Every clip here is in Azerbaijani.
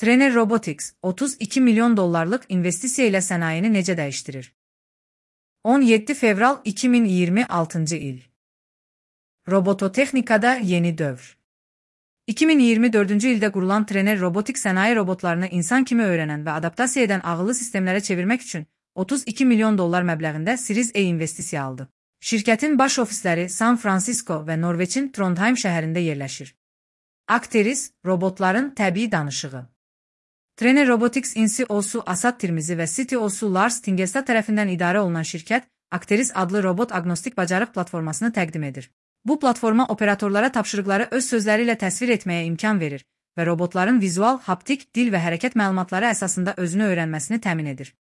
Trener Robotics, 32 milyon dollarlık investisiya ilə sənayeni necə dəyişdirir? 17 fevral 2026 il. Robototexnikada yeni dövr. 2024-cü ildə qurulan Trener Robotics sənaye robotlarını insan kimi öyrənən və adaptasiya edən ağıllı sistemlərə çevirmək üçün 32 milyon dollar məbləğində Series A investisiya aldı. Şirkətin baş ofisləri San Francisco və Norveçin Trondheim şəhərində yerləşir. Acteris, robotların təbii danışığı. Trener Robotics CEO-su Asad Tirmizi və CTO-su Lars Tingestad tərəfindən idarə olunan şirkət, Acteris adlı robot agnostik bacarıq platformasını təqdim edir. Bu platforma operatorlara tapşırıqları öz sözləri ilə təsvir etməyə imkan verir və robotların vizual, haptik, dil və hərəkət məlumatları əsasında özünü öyrənməsini təmin edir.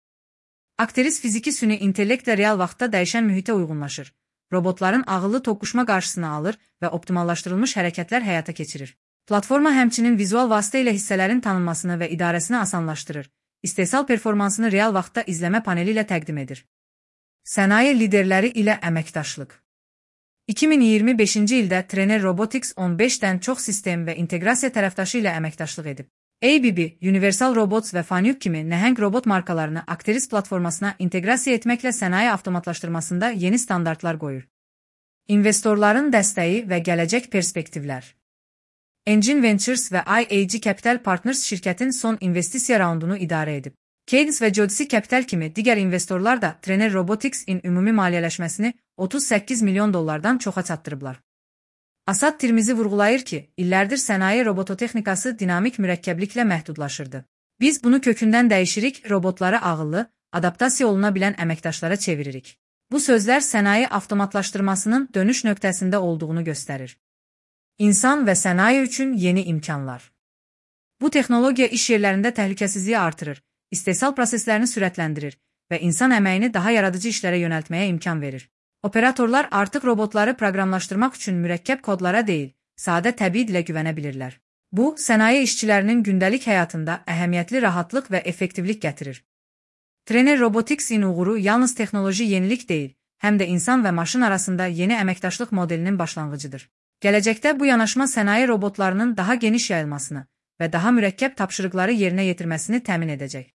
Acteris fiziki süni intellektlə real vaxtda dəyişən mühitə uyğunlaşır. Robotların ağıllı toqquşma qarşısını alır və optimallaşdırılmış hərəkətlər həyata keçirir. Platforma həmçinin vizual vasitə ilə hissələrin tanınmasını və idarəsini asanlaşdırır. İstehsal performansını real vaxtda izləmə paneli ilə təqdim edir. Sənaye liderləri ilə əməkdaşlıq. 2025-ci ildə Trener Robotics 15-dən çox sistem və inteqrasiya tərəfdaşı ilə əməkdaşlıq edib. ABB, Universal Robots və Fanuc kimi nəhəng robot markalarını Acteris platformasına inteqrasiya etməklə sənaye avtomatlaşdırmasında yeni standartlar qoyur. İnvestorların dəstəyi və gələcək perspektivlər. Engine Ventures və IAG Capital Partners şirkətin son investisiya raundunu idarə edib. Cadence və Jodisi Capital kimi digər investorlar da Trener Robotics-in ümumi maliyyələşməsini 38 milyon dollardan çoxa çatdırıblar. Asad Tirmizi vurğulayır ki, illərdir sənaye robototexnikası dinamik mürəkkəbliklə məhdudlaşırdı. Biz bunu kökündən dəyişirik, robotları ağıllı, adaptasiya oluna bilən əməkdaşlara çeviririk. Bu sözlər sənaye avtomatlaşdırmasının dönüş nöqtəsində olduğunu göstərir. İnsan və sənaye üçün yeni imkanlar. Bu texnologiya iş yerlərində təhlükəsizliyi artırır, istehsal proseslərini sürətləndirir və insan əməyini daha yaradıcı işlərə yönəltməyə imkan verir. Operatorlar artıq robotları proqramlaşdırmaq üçün mürəkkəb kodlara deyil, sadə təbii dilə güvənə bilirlər. Bu, sənaye işçilərinin gündəlik həyatında əhəmiyyətli rahatlıq və effektivlik gətirir. Trener Robotics-in uğuru yalnız texnoloji yenilik deyil, həm də insan və maşın arasında yeni əməkdaşlıq modelinin başlanğıcıdır. Gələcəkdə bu yanaşma sənaye robotlarının daha geniş yayılmasını və daha mürəkkəb tapşırıqları yerinə yetirməsini təmin edəcək.